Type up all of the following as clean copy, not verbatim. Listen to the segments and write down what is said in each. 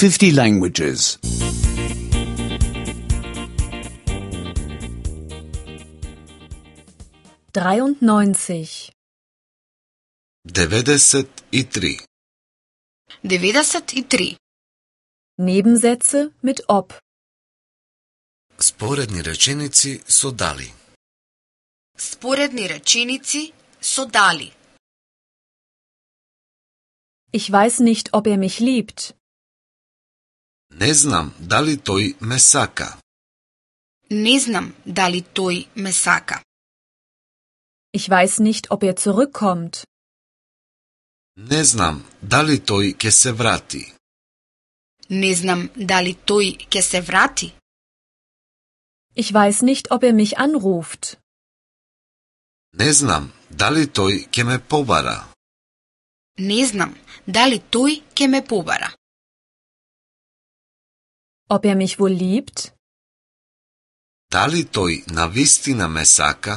50 languages. 93. 93. 93. Nebensätze mit ob. Sporedni rečenici so dali. Sporedni rečenici so dali. Ich weiß nicht, ob er mich liebt. Ne znam da li toj me saka. Ne znam da li toj me saka. Ich weiß nicht, ob er zurückkommt. Ne znam da li toj ke se vrati. Ne znam da li toj ke se vrati. Ich weiß nicht, ob er mich anruft. Ne znam da li toj ke me pobara. Ne znam da li toj ke me pobara. Ob er mich wohl liebt? Da li toj na vistina me saka?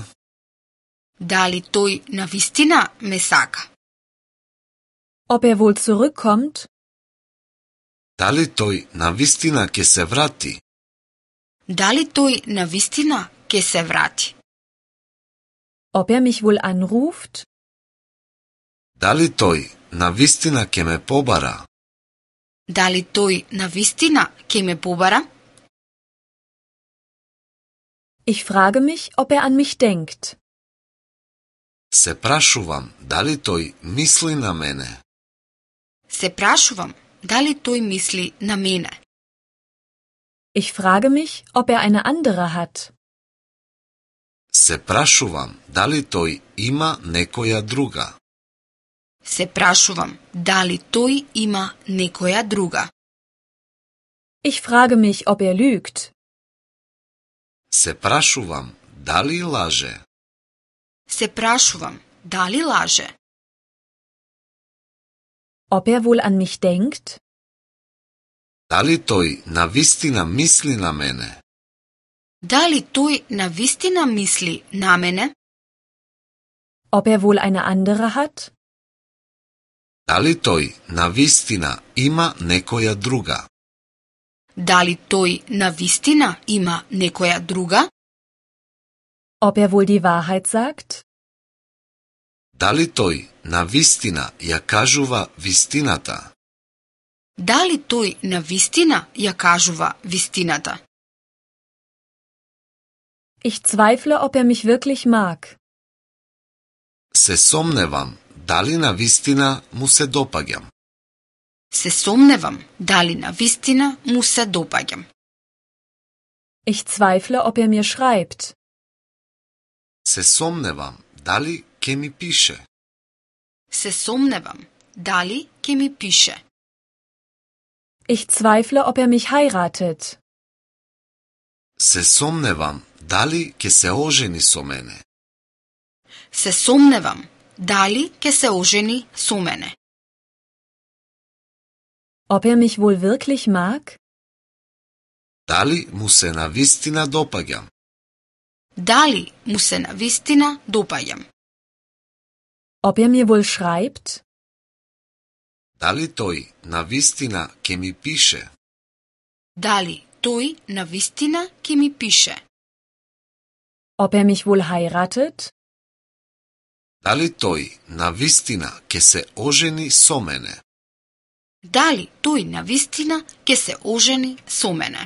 Da li toj na vistina me saka. Ob er wohl zurückkommt? Da li toj na vistina ke se vrati? Da li toj na vistina ke se vrati. Ob er mich wohl anruft? Da li toj na vistina ke me pobara? Da li toj na vistina ke me pobara. Ich frage mich, ob er an mich denkt. Se prašuvam da li toj misli na mene. Se prašuvam da li toj misli na mene. Ich frage mich, ob er eine andere hat. Se prašuvam da li toj ima nekoja druga. Se prašuvam da li toj ima nekoja druga. Ich frage mich, ob er lügt. Se prašuvam da li laže. Se prašuvam da li laže. Ob er wohl an mich denkt? Da li toj na vistina misli na mene. Da li toj na vistina misli na mene. Ob er wohl eine andere hat? Da li toj na vistina ima nekoja druga. Da li toj na vistina ima nekoja druga. Ob er wohl die Wahrheit sagt? Da li toj na vistina ja kažuva vistinata. Da li toj na vistina ja kažuva vistinata. Ich zweifle, ob er mich wirklich mag. Se somnevam da li na vistina mu se dopagjam. Se somnevam da li na vistina mu se dopagjam. Ich zweifle, ob er mir schreibt. Se somnevam da li ke mi piše. Se somnevam da li ke mi piše. Ich zweifle, ob er mich heiratet. Se somnevam da li ke se oženi so mene. Se somnevam da li ke se oženi so mene. Ob er mich wohl wirklich mag? Da li mu se na vistina dopagjam. Da li mu se na vistina dopagjam. Ob er mir wohl schreibt? Da li toj na vistina ke mi piše. Da li toj na vistina ke mi piše. Ob er mich wohl heiratet? Da li toj na vistina ke se oženi so mene. Da li toj na vistina ke se oženi so mene.